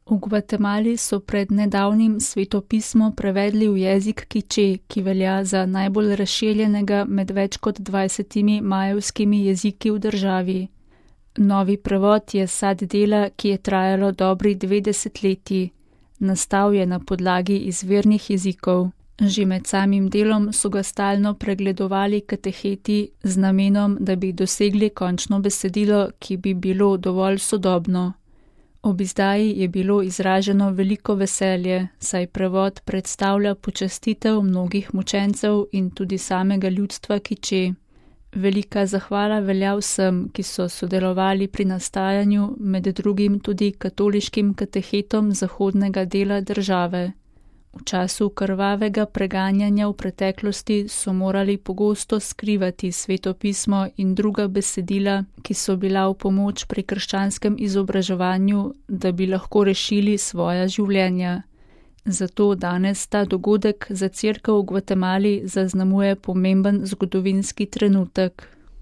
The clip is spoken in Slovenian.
V Gvatemali so pred nedavnim svetopismo prevedli v jezik kiče, ki velja za najbolj razširjenega med več kot 20 majevskimi jeziki v državi. Novi prevod je sad dela, ki je trajalo dobri 2 desetletji. Nastal je na podlagi izvirnih jezikov. Že med samim delom so ga stalno pregledovali kateheti z namenom, da bi dosegli končno besedilo, ki bi bilo dovolj sodobno. Ob izdaji je bilo izraženo veliko veselje, saj prevod predstavlja počastitev mnogih mučencev in tudi samega ljudstva kiče. Velika zahvala velja vsem, ki so sodelovali pri nastajanju, med drugim tudi katoliškim katehetom zahodnega dela države. V času krvavega preganjanja v preteklosti so morali pogosto skrivati svetopismo in druga besedila, ki so bila v pomoč pri krščanskem izobraževanju, da bi lahko rešili svoja življenja. Zato danes ta dogodek za cerkev v Gvatemali zaznamuje pomemben zgodovinski trenutek.